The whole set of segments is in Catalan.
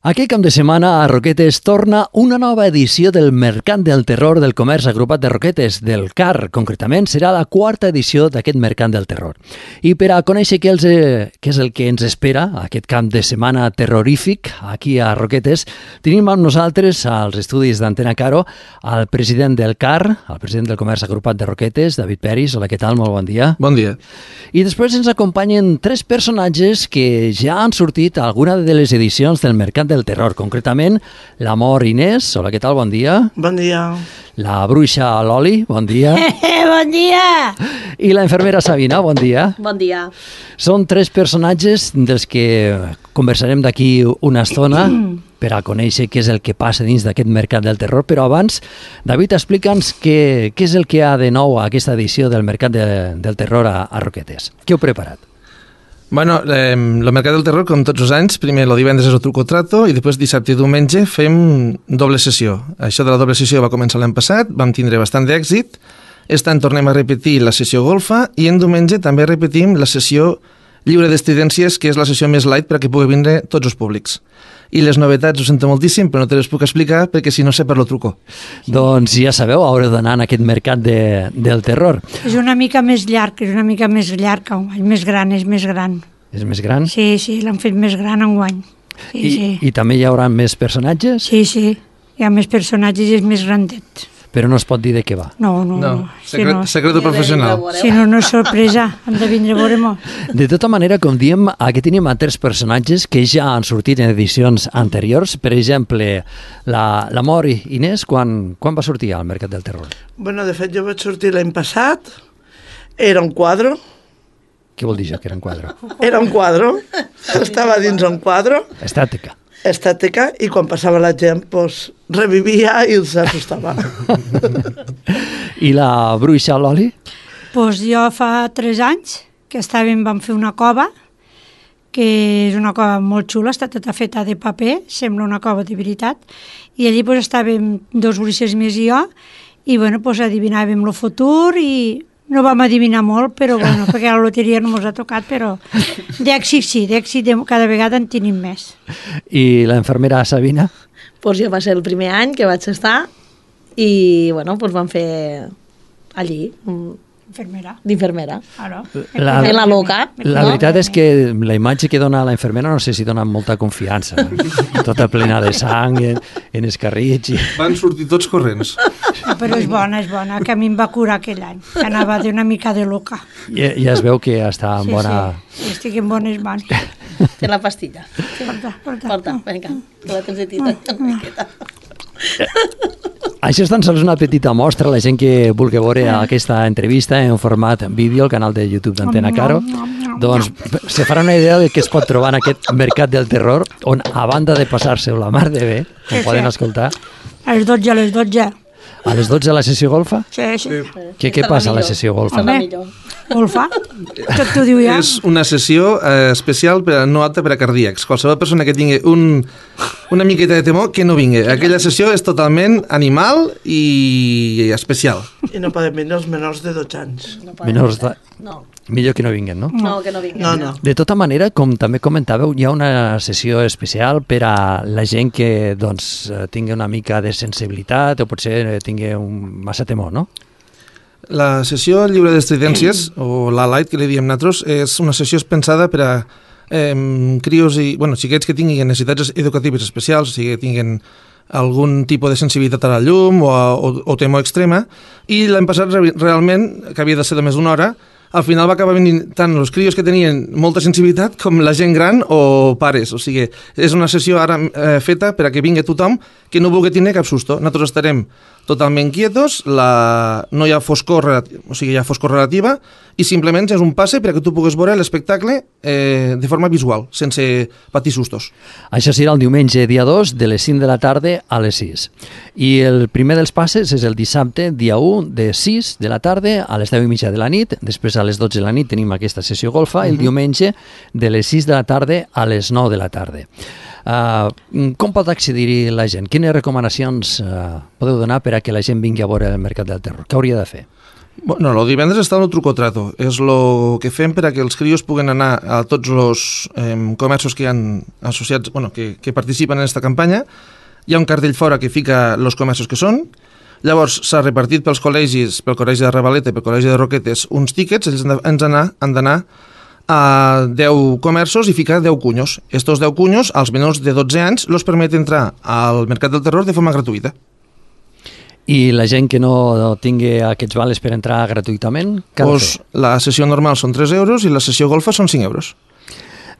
Aquest cap de setmana a Roquetes torna una nova edició del Mercat del Terror del Comerç Agrupat de Roquetes, del CAR. Concretament, serà la quarta edició d'aquest Mercat del Terror. I per a conèixer què és el que ens espera, aquest cap de setmana terrorífic, aquí a Roquetes, tenim amb nosaltres, als estudis d'Antena Caro, el president del CAR, el president del Comerç Agrupat de Roquetes, David Peris. Hola, què tal? Molt bon dia. Bon dia. I després ens acompanyen tres personatges que ja han sortit a alguna de les edicions del Mercat del Terror, concretament l'Amor Inés. Hola, què tal? Bon dia. Bon dia. La bruixa Loli, bon dia. Bon dia. I la infermera Sabina, bon dia. Bon dia. Són tres personatges dels que conversarem d'aquí una estona per a conèixer què és el que passa dins d'aquest Mercat del Terror, però abans, David, explica'ns què és el que hi ha de nou a aquesta edició del Mercat del Terror a Roquetes. Què heu preparat? Bueno, el Mercat del Terror, com tots els anys, primer el divendres és el truco trato i després dissabte i diumenge fem doble sessió. Això de la doble sessió va començar l'any passat, vam tindre bastant d'èxit. Aquest any tornem a repetir la sessió golfa i en diumenge també repetim la sessió lliure d'estridències, que és la sessió més light per a que pugui vindre tots els públics. I les novetats, ho sento moltíssim, però no te les puc explicar perquè si no sé per lo truco. Doncs ja sabeu, haureu d'anar en aquest Mercat del Terror. És una mica més llarg, que enguany, més gran, és més gran. És més gran? Sí, l'han fet més gran enguany. Sí. I també hi haurà més personatges? Sí, hi ha més personatges i és més grandet. Però no es pot dir de què va. No. Secreto professional. Si no és sorpresa, hem de vindre a veure molt. De tota manera, com diem, aquí tenim altres personatges que ja han sortit en edicions anteriors. Per exemple, l'Amor Inés, quan va sortir al Mercat del Terror? Bueno, de fet, jo vaig sortir l'any passat. Era un quadre. Què vol dir això, que era un quadre? Era un quadre. Estava dins un quadre. Estàtica, i quan passava la gent, doncs, revivia i s'assustava. I la bruixa Loli? Doncs jo fa 3 anys que vam fer una cova, que és una cova molt xula, està tota feta de paper, sembla una cova de veritat, i allí doncs, estàvem 2 bruixes més i jo, i doncs, adivinàvem el futur i no vam adivinar molt, però bueno, perquè la loteria no ens ha tocat, però d'èxit sí, cada vegada en tenim més. I la infermera Sabina? Doncs jo va ser el primer any que vaig estar i bueno, doncs vam fer allí d'infermera. En la loca. La veritat és que la imatge que dona la infermera no sé si dona molta confiança. Tota plena de sang, en escarrits. Van sortir tots corrents. Però és bona, que a mi em va curar aquell any. Anava d'una mica de loca. Ja es veu que està en bona... Sí, estic en bones mans. Té la pastilla. Porta, vinga, que la tens una miqueta. Això és tan sols una petita mostra. La gent que vulgui veure aquesta entrevista en format vídeo al canal de YouTube d'Antena Caro, doncs se farà una idea de què es pot trobar en aquest Mercat del Terror, on a banda de passar-se la mar de bé, com poden escoltar... A les 12. A les 12 a la sessió golfa? Sí. Què passa a la sessió golfa? Golfa? Tot t'ho diu ja. És una sessió especial no apta per a cardíacs. Qualsevol persona que tingui una miqueta de temor que no vingui. Aquella sessió és totalment animal i especial. I no poden venir els menors de 12 anys. Menors de... No. Millor que no vinguen, no? No, que no vinguin. No. De tota manera, com també comentàveu, hi ha una sessió especial per a la gent que tingui una mica de sensibilitat o potser tingui massa temor, no? La sessió lliure d'estridències, o la light que li diem nosaltres, és una sessió pensada per a crios i xiquets que tinguin necessitats educatives especials, o sigui, que tinguin algun tipus de sensibilitat a la llum o temor extrema, i l'any passat realment, que havia de ser de més d'una hora, al final va acabar venint tant els crios que tenien molta sensibilitat com la gent gran o pares. O sigui, és una sessió ara feta per a que vingui tothom que no vulgui tenir cap susto. Nosaltres estarem totalment quietos, no hi ha foscor, o sigui, hi ha foscor relativa, i simplement és un passe per a que tu puguis veure l'espectacle de forma visual, sense patir sustos. Això serà el diumenge, dia 2, de les 5 de la tarda a les 6. I el primer dels passes és el dissabte, dia 1, de 6 de la tarda a les 10:30 de la nit. Després a les 12 de la nit tenim aquesta sessió golfa, i el diumenge de les 6 de la tarda a les 9 de la tarda. Com pot accedir la gent? Quines recomanacions podeu donar per a que la gent vingui a veure el Mercat del Terror? Què hauria de fer? Bueno, el divendres està el truco trato. És el que fem per a que els crios puguen anar a tots els comerços que hi ha associats, bueno, que participen en aquesta campanya. Hi ha un cartell fora que fica els comerços que són. Llavors s'ha repartit pels col·legis, pel col·legi de Ravaleta i pel col·legi de Roquetes, uns tíquets. Ells han d'anar a 10 comerços i ficar 10 cunyos. Estos 10 cunyos, als menors de 12 anys, els permet entrar al Mercat del Terror de forma gratuïta. I la gent que no tingui aquests vales per entrar gratuïtament, què ha de fer? La sessió normal són 3 euros i la sessió golfa són 5 euros.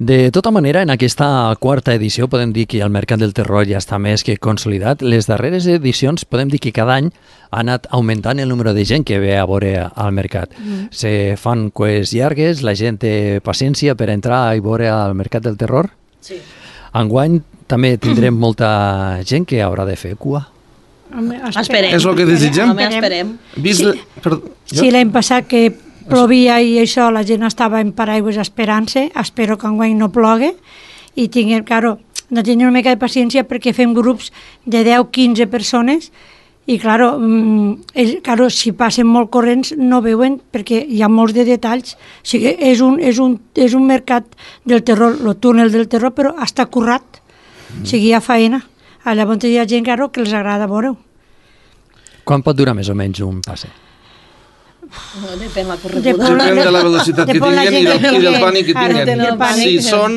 De tota manera, en aquesta quarta edició podem dir que el Mercat del Terror ja està més que consolidat. Les darreres edicions podem dir que cada any ha anat augmentant el número de gent que ve a veure al mercat. Se fan cues llargues, la gent té paciència per entrar i veure al Mercat del Terror. Sí. Enguany també tindrem molta gent que haurà de fer cua. Esperem. És el que desitgem. Esperem. Sí, l'any passat que plovia i això, la gent estava en paraigües esperant-se, espero que enguany no plogue i tinguem, claro, de tenir una mica de paciència perquè fem grups de 10-15 persones i, claro, si passen molt corrents no veuen perquè hi ha molts de detalls. O sigui, és un mercat del terror, el túnel del terror, però està currat, o sigui, hi ha faena. Llavors hi ha gent, claro, que els agrada veure-ho. Quan pot durar més o menys un passe? Depèn la correguda. Depèn de la velocitat que tinguin i del pànic que tinguin. Si són...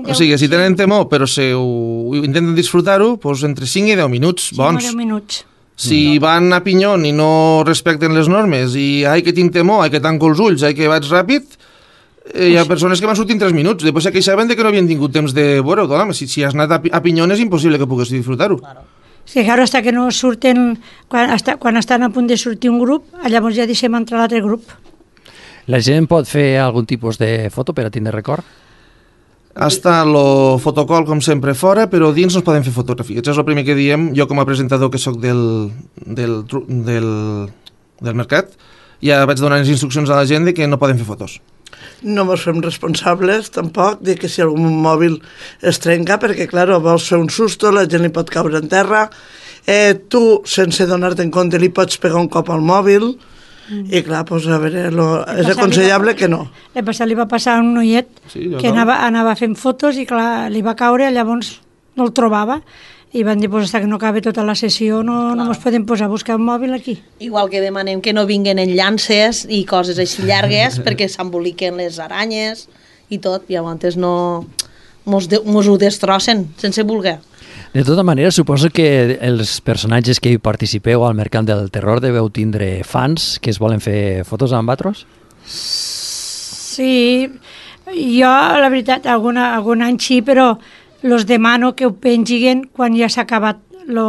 O sigui, si tenen temor però intenten disfrutar-ho, doncs entre 5 i 10 minuts, bons. 5 o 10 minuts. Si van a pinyón i no respecten les normes i ai que tinc temor, ai que tanco els ulls, ai que vaig ràpid, hi ha persones que van sortir en 3 minuts, després se queixaven de que no havien tingut temps de veure-ho. Si has anat a pinyón és impossible que puguis disfrutar-ho. Sí, claro, hasta que no surten, quan estan a punt de sortir un grup, llavors ja deixem entrar l'altre grup. La gent pot fer algun tipus de foto per a tindre record? Està el fotocol, com sempre, fora, però dins no es poden fer fotografies. És el primer que diem, jo com a presentador que sóc del mercat, ja vaig donar les instruccions a la gent de que no poden fer fotos. No ens fem responsables, tampoc, de que si algun mòbil es trenca, perquè, clar, vols fer un susto, la gent li pot caure en terra, tu, sense donar-te en compte, li pots pegar un cop al mòbil, i clar, doncs, a veure, és aconsellable que no. Li va passar a un noiet que anava fent fotos i, clar, li va caure, llavors no el trobava, i van dir, doncs, que no acabi tota la sessió, no ens podem posar a buscar un mòbil aquí. Igual que demanem que no vinguin en llances i coses així llargues perquè s'emboliquen les aranyes i tot, i llavors mos ho destrossen sense voler. De tota manera, suposo que els personatges que hi participeu al Mercat del Terror deveu tindre fans que es volen fer fotos amb vosaltres? Sí, jo, la veritat, algun any sí, però los demano que ho pengin quan ja s'ha acabat el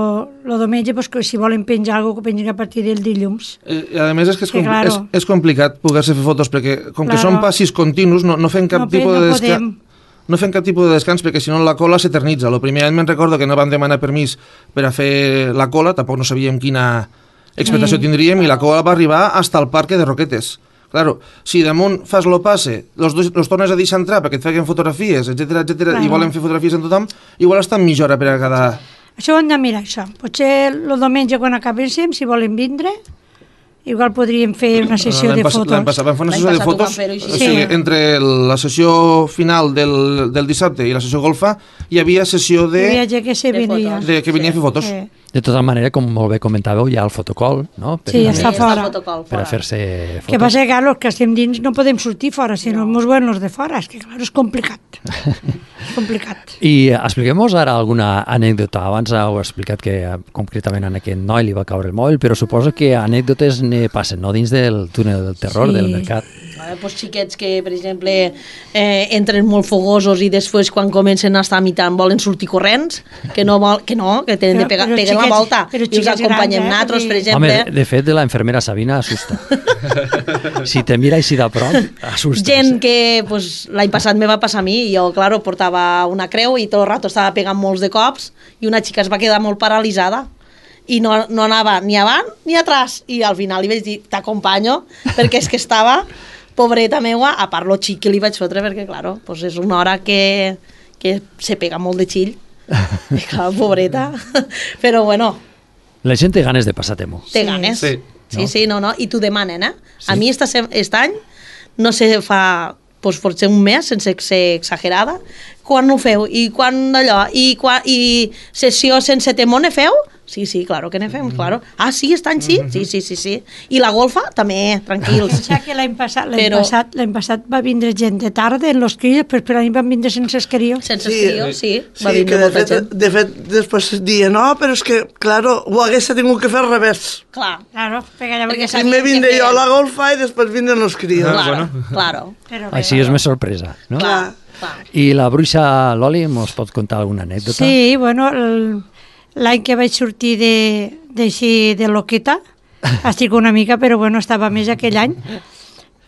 diumenge, pues, que si volen penjar alguna cosa, que pengin a partir del dilluns. A més, és que és complicat poder-se fer fotos, perquè com que són passis continus, no fem cap tipus de descans. No fem cap tipus de descans, perquè si no la cola s'eternitza. El primer any me'n recordo que no vam demanar permís per a fer la cola, tampoc no sabíem quina expectació tindríem, i la cola va arribar fins al parc de Roquetes. Claro, si damunt fas lo passe, los tornes a deixar entrar perquè et feien fotografies, etc i volen fer fotografies amb tothom, igual estan mitja hora per a cada... Això ho hem de mirar, això. Potser el diumenge quan acabéssim, si volen vindre, igual podríem fer una sessió de fotos. L'any passat vam fer una sessió de fotos, o sigui, entre la sessió final del dissabte i la sessió golfa hi havia sessió de... Hi havia gent que venia a fer fotos. De tota manera, com molt bé comentàveu, hi ha el fotocol, no? Sí, està fora. Per a fer-se fotos. Que passa que, clar, els que estem dins no podem sortir fora, si no ens veuen els de fora. És que, clar, és complicat. És complicat. I expliquem-nos ara alguna anècdota. Abans heu explicat que concretament a aquest noi li va caure el mòbil, però suposo que anècdotes ne passen, no? Dins del túnel del terror del mercat. Pues xiquets que, per exemple, entren molt fogosos i després quan comencen a estar mitant volen sortir corrents, que tenen de pegar la volta i us acompanyem nosaltres, per exemple. Home, de fet, la infermera Sabina assusta. Si te mira així de prop, assusta. Gent que l'any passat me va passar a mi, i jo, claro, portava una creu i tot el rato estava pegant molts de cops i una xica es va quedar molt paralitzada i no anava ni avant ni atrás, i al final li vaig dir, t'acompanyo, perquè és que estava pobreta meua, a part lo xic que li vaig fotre, perquè, claro, és una hora que se pega molt de xill. I clar, pobreta. Però, bueno... La gent té ganes de passar temor. Té ganes. Sí. Sí, sí, no, i t'ho demanen, eh? Sí. A mi aquest any no se fa, doncs potser un mes, sense ser exagerada, quan ho feu, i quan allò, i sessió sense temor ne feu? Sí, sí, claro que ne fem, claro. Ah, sí, aquest any sí? Sí. I la golfa, també, tranquils. Pensa que l'any passat va vindre gent de tarda en los crios, però l'any van vindre sense els crios. Sense els crios, sí. Va Sí, vindre molta gent. de fet, després diuen, no, però és que, claro, ho hagués tingut que fer al revés. Clar. Claro, perquè Primer vindré jo a la golfa i després vindren els crios. Claro. Així és més sorpresa, no? Clar. I la bruixa Loli mos pot contar alguna anècdota? Sí, bueno, l'any que vaig sortir d'així de loqueta, estic una mica, però bueno, estava més aquell any,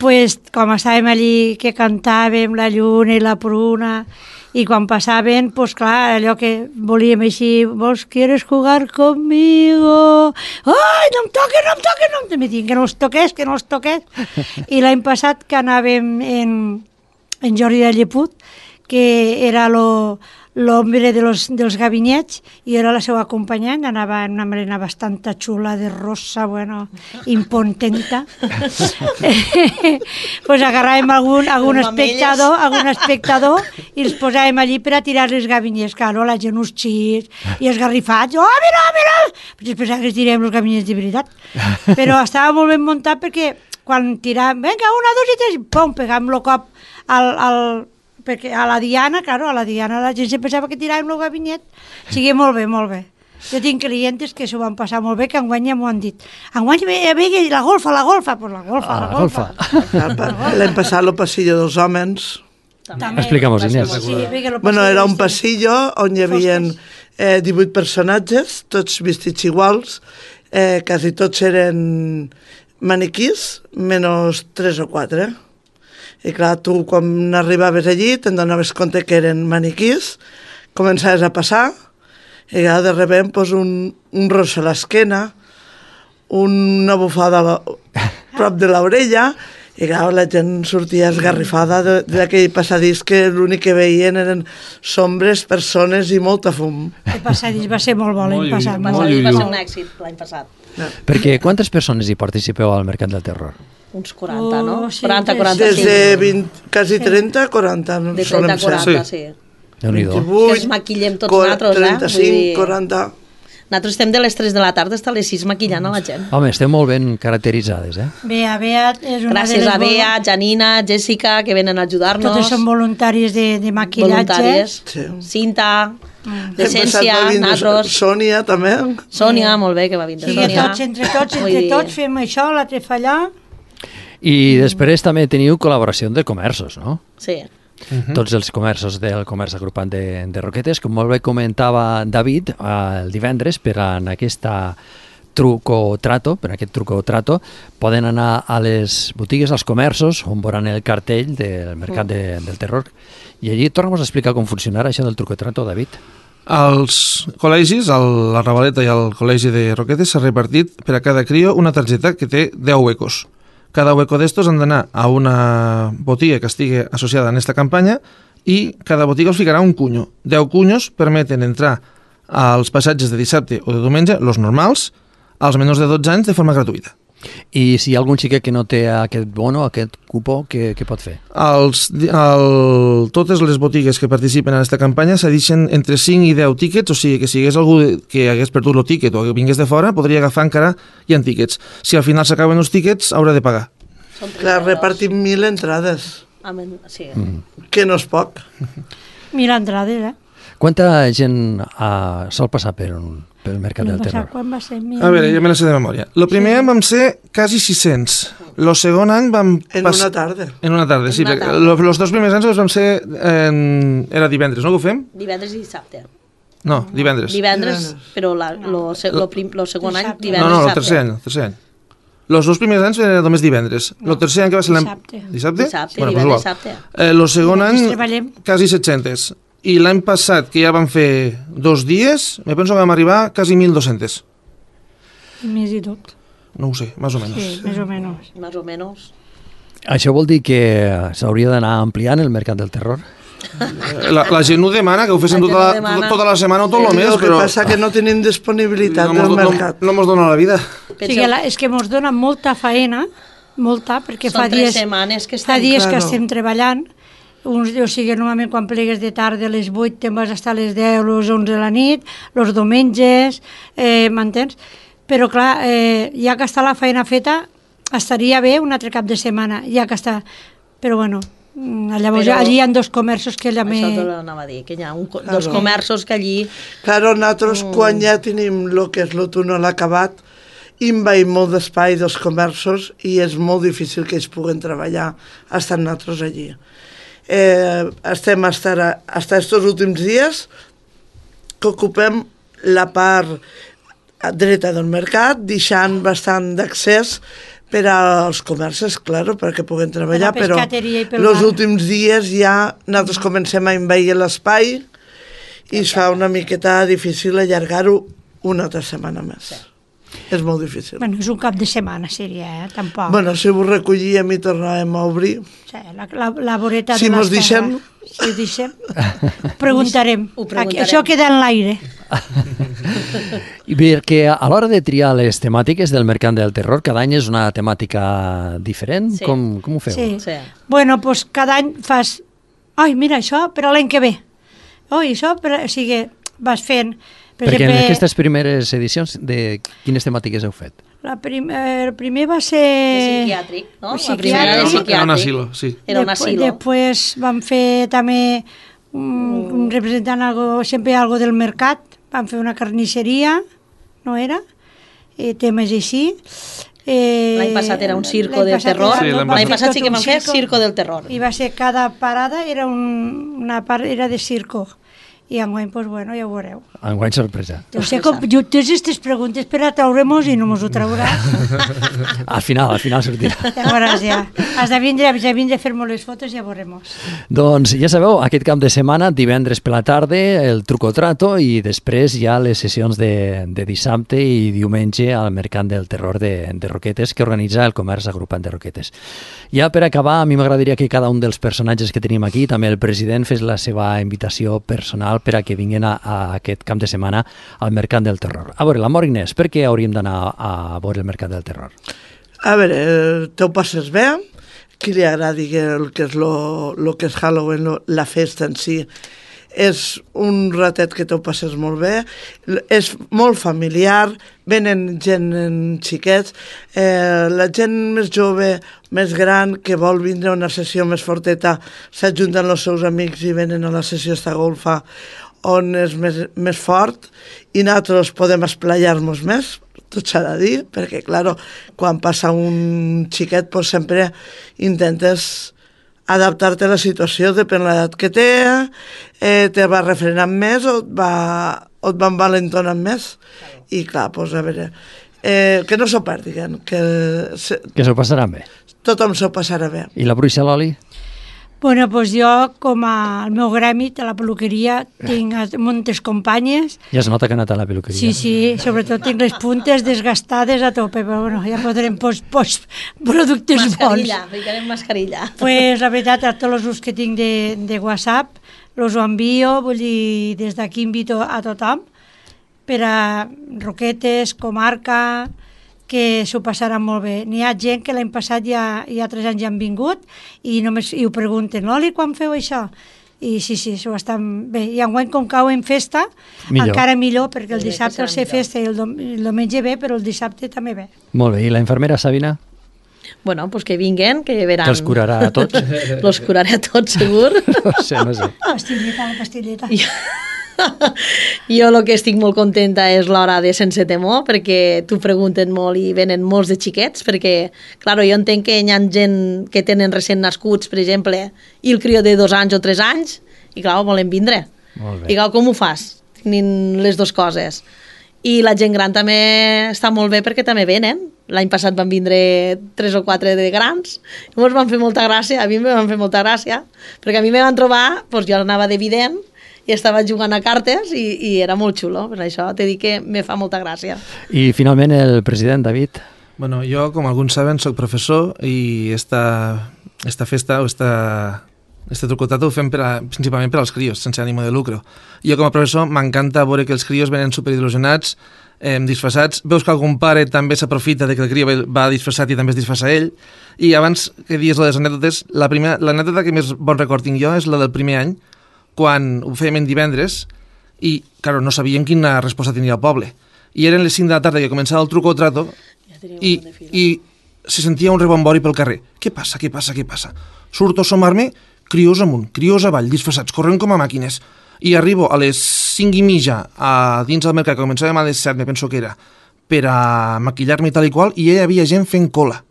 pues, com estàvem allí que cantàvem la lluna i la pruna, i quan passaven, pues clar, allò que volíem així, vos quieres jugar conmigo? Ai, no em toques, no em toques, no em toques. Me diuen que no els toques. I l'any passat que anàvem en Jordi de Lleput, que era l'home dels gabinets, i era la seva acompanyant, anava en una melena bastant xula de rosa, bueno, impontenta. Pues agarràvem algun espectador i els posàvem allí per a tirar els gabinets, claro, la gent uns xits i esgarrifats, oh, mira! Pues després que tirem els gabinets de veritat. Però estava molt ben muntat perquè quan tiràvem, vinga, 1, 2 i 3, pum, pegàvem el cop perquè a la Diana, claro, a la Diana la gent se pensava que tiràvem el gabinet. Sigui molt bé, molt bé. Jo tinc clientes que s'ho van passar molt bé, que enguany ja m'ho han dit. Enguany ve la golfa, pues la golfa. L'hem passat el passillo dels homes. Explica'm-ho, Inés. Bueno, era un passillo on hi havia 18 personatges, tots vestits iguals, quasi tots eren maniquís, menys 3 o 4. I clar, tu quan arribaves allí te'n donaves compte que eren maniquís, començaves a passar, i clar, de repente pues, un rossa a l'esquena, una bufada prop de l'orella, i clar, la gent sortia esgarrifada d'aquell passadís que l'únic que veien eren sombres, persones i molta fum. El passadís va ser molt bo l'any passat. El passadís va ser un èxit l'any passat. Perquè quantes persones hi participeu al Mercat del Terror? Uns 40, no? Sí, 40, 45. Des de 20, quasi 30, 40. De 30 a 40, sí. Déu-n'hi-do. Que ens maquillem tots nosaltres, 35, 40... Nosaltres estem de les 3 de la tarda fins a les 6 maquillant a la gent. Home, esteu molt ben caracteritzades, eh? Bea és una Gràcies a Bea, Janina, Jessica, que venen a ajudar-nos. Totes són voluntàries de maquillatge. Voluntàries. Sí. Cinta, d'Essència, nosaltres. Sònia, també. Sònia, molt bé, que va vindre. Sí, Sònia. entre tots fem això, l'altre fa allà. I després també teniu col·laboració de comerços, no? Sí. Tots els comerços del comerç agrupant de Roquetes, com molt bé comentava David el divendres, per en aquesta truco trato, poden anar a les botigues, als comerços, on veuran el cartell del Mercat del Terror. I allí torna'm a explicar com funcionarà això del truco trato, David. Als col·legis, la Ravaleta i al col·legi de Roquetes, s'ha repartit per a cada crio una targeta que té 10 huecos. Cada hueco d'estos han d'anar a una botiga que estigui associada en aquesta campanya i cada botiga us ficarà un cunyo. 10 cunyos permeten entrar als passatges de dissabte o de diumenge, els normals, als menors de 12 anys de forma gratuïta. I si hi ha algun xiquet que no té aquest bono, aquest cupó, què pot fer? Totes les botigues que participen en aquesta campanya s'adixen entre 5 i 10 tíquets, o sigui que si hi hagués algú que hagués perdut el tíquet o que vingués de fora, podria agafar encara hi ha tíquets. Si al final s'acaben els tíquets, haurà de pagar. Clar, repartim 1.000 entrades, Sí. que no és poc. 1.000 entrades, Quanta gent sol passar pel Mercat del Terror? Quan va ser? A veure, ja me la sé de memòria. El primer any vam ser quasi 600. El segon any vam... En una tarda. En una tarda, sí. Els dos primers anys vam ser... Era divendres, no que ho fem? Divendres i dissabte. No, divendres. Divendres, però el segon any, divendres No, i el tercer any. Els dos primers anys era només divendres. El tercer any que va ser Dissabte. Dissabte? Dissabte, Bueno, divendres, igual. dissabte. El segon any, treballem. quasi 700. I l'any passat, que ja vam fer 2 dies, me penso que vam arribar quasi 1.200. Més i tot. No ho sé, més o menys. Sí, més o menys. Más o menos. Això vol dir que s'hauria d'anar ampliant el Mercat del Terror? La gent ho demana, que ho fessin tota la setmana o tot el mes, però... El que passa que no tenim disponibilitat del mercat. No mos dona la vida. O sigui, és que ens dona molta faena, molta, perquè Són 3 setmanes que estem... Fa dies que estem treballant. O sigui, normalment quan plegues de tarda a les 8 te'n vas estar a les 10 o les 11 de la nit, els diumenges, m'entens? Però clar, ja que està la feina feta, estaria bé un altre cap de setmana, ja que està... Però bueno, llavors allí hi ha 2 comerços que allà me... Això t'ho anava a dir, que hi ha 2 comerços que allí... Claro, nosaltres quan ja tenim el que és el túnel acabat, invaïm molt d'espai dels comerços i és molt difícil que ells puguen treballar estant nosaltres allí. Estem hasta estos últims dies que ocupem la part dreta del mercat, deixant bastant d'accés per als comerços, claro, perquè puguen treballar, però els últims dies ja nosaltres comencem a envair l'espai i es fa una miqueta difícil allargar-ho una altra setmana més. És molt difícil. Bueno, és un cap de setmana, seria, tampoc. Bueno, si ho recollíem i tornàvem a obrir... Sí, la voreta si de mos deixem... Si ho deixem, preguntarem. preguntarem. Això queda en l'aire. I perquè a l'hora de triar les temàtiques del Mercant del Terror, cada any és una temàtica diferent? Sí. Com ho feu? Sí. Bueno, doncs cada any fas... Ai, mira, això per a l'any que ve. Oi, això per... O sigui, vas fent... Perquè en aquestes primeres edicions, de quines temàtiques heu fet? El primer va ser... Psiquiàtric, no? Psiquiàtric. La primera de psiquiàtric. Era un asilo, sí. Era un asilo. Després vam fer també, representant sempre algo del mercat, vam fer una carnisseria, no era? Temes així. L'any passat era un circo del terror. L'any passat sí que vam fer circo del terror. I va ser cada parada, era una part era de circo. I enguany, doncs, bueno, ja ho veureu. Enguany sorpresa. Jo sé com, tens aquestes preguntes per a traure-mos i no mos ho trauràs. Al final sortirà. Ja veuràs, ja. Has de vindre a fer-me les fotos i ja veurem. Doncs ja sabeu, aquest cap de setmana, divendres per la tarda, el truco trato i després hi ha les sessions de dissabte i diumenge al Mercant del Terror de Roquetes que organitza el Comerç Agrupat de Roquetes. Ja per acabar, a mi m'agradaria que cada un dels personatges que tenim aquí, també el president, fes la seva invitació personal per a que vinguin a aquest camp de setmana al Mercant del Terror. A veure, l'amor Inés, per què hauríem d'anar a veure el Mercat del Terror? A veure, te ho passes bé, qui li agradi el que és lo que és Halloween, la festa en si, és un ratet que te ho passes molt bé, és molt familiar, venen gent xiquets, la gent més jove, més gran, que vol vindre a una sessió més forteta, s'ajunten els seus amics i venen a la sessió esta golfa, on és més fort, i nosaltres podem esplayar-nos més, tot s'ha de dir, perquè, clar, quan passa un xiquet, doncs sempre intentes adaptar-te a la situació, depèn de l'edat que té, te va refrenant més o et va envalentonant més. I clar, doncs a veure, que no s'ho perdin, que s'ho passaran bé. Tothom s'ho passarà bé. I la Bruixa Loli? Bueno, doncs jo, com al meu gremi, a la peluqueria, tinc moltes companyes. Ja es nota que ha anat a la peluqueria. Sí, sobretot tinc les puntes desgastades a tope, però bueno, ja podrem productes bons. Mascarilla, ficarem mascarilla. Pues la veritat, a tots els grups que tinc de WhatsApp, els ho envio, vull dir, des d'aquí invito a tothom, per a Roquetes, comarca, que s'ho passaran molt bé. N'hi ha gent que l'any passat ja 3 anys ja han vingut i només ho pregunten, Loli, quan feu això? I sí, s'ho estan bé. I enguany, com cau en festa, encara millor, perquè el dissabte el sé festa i el diumenge bé, però el dissabte també bé. Molt bé. I la infermera Sabina? Bueno, pues que vinguen, que veran... Que els curarà a tots? Els curaré a tots, segur. No sé. La pastilleta. Jo el que estic molt contenta és l'hora de Sense Temor, perquè t'ho pregunten molt i venen molts de xiquets, perquè, clar, jo entenc que hi ha gent que tenen recent nascuts, per exemple, i el crió de 2 anys o 3 anys, i clar, volen vindre. Molt bé. I clar, com ho fas? Tenint les dues coses. I la gent gran també està molt bé perquè també venen. L'any passat van vindre 3 o 4 de grans, llavors van fer molta gràcia, a mi em van fer molta gràcia, perquè a mi me van trobar, doncs jo anava d'evident, i estava jugant a cartes i era molt xulo, per això t'he dit que me fa molta gràcia. I finalment el president, David? Bueno, jo, com alguns saben, soc professor i esta festa o esta Este truco-trato ho fem principalment per als crios, sense ànimo de lucre. Jo com a professor m'encanta veure que els crios venen superil·lusionats, disfressats. Veus que algun pare també s'aprofita de que el crió va disfressat i també es disfressa ell. I abans que dius les anècdotes, l'anècdota que més bon record tinc jo és la del primer any, quan ho fèiem en divendres i, claro, no sabíem quina resposta tindria el poble. I eren les 5 de la tarda que començava el truco o trato i se sentia un rebombori pel carrer. Què passa? Surto a somar-me, crios amunt, crios avall, disfressats, corrent com a màquines. I arribo a les 5:30 a dins del mercat, que començàvem a les 7, me penso que era, per a maquillar-me i tal i qual, i ja hi havia gent fent cola.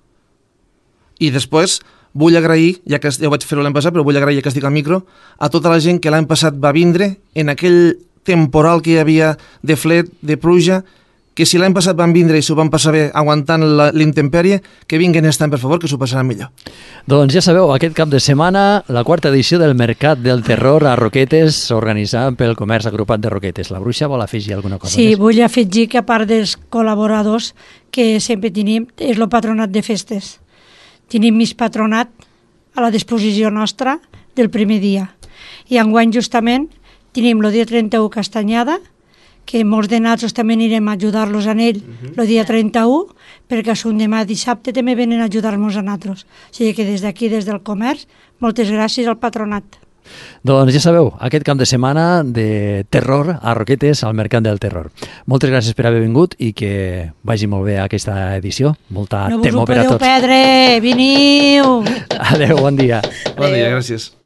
I després vull agrair, ja que ja ho vaig fer l'any passat, però vull agrair, ja que estic al micro, a tota la gent que l'any passat va vindre en aquell temporal que hi havia de fred, de pluja, que si l'any passat van vindre i s'ho van passar bé aguantant l'intempèrie, que vinguen aquest any, per favor, que s'ho passaran millor. Doncs ja sabeu, aquest cap de setmana, la 4ª edició del Mercat del Terror a Roquetes, organitzada pel Comerç Agrupat de Roquetes. La Bruixa vol afegir alguna cosa Sí, més? vull afegir que a part dels col·laboradors que sempre tenim, és el patronat de festes. Tenim mig patronat a la disposició nostra del primer dia. I enguany justament tenim el dia 31 Castanyada, que molts de nosaltres també anirem a ajudar-los en ell el dia 31, perquè a demà dissabte també venen a ajudar-nos a nosaltres. O sigui que des d'aquí, des del comerç, moltes gràcies al patronat. Doncs ja sabeu, aquest cap de setmana de terror a Roquetes, al Mercat del Terror. Moltes gràcies per haver vingut i que vagi molt bé aquesta edició. Molta No vos ho temor per a podeu tots. perdre, veniu! Adéu, bon dia. Bon dia, gràcies.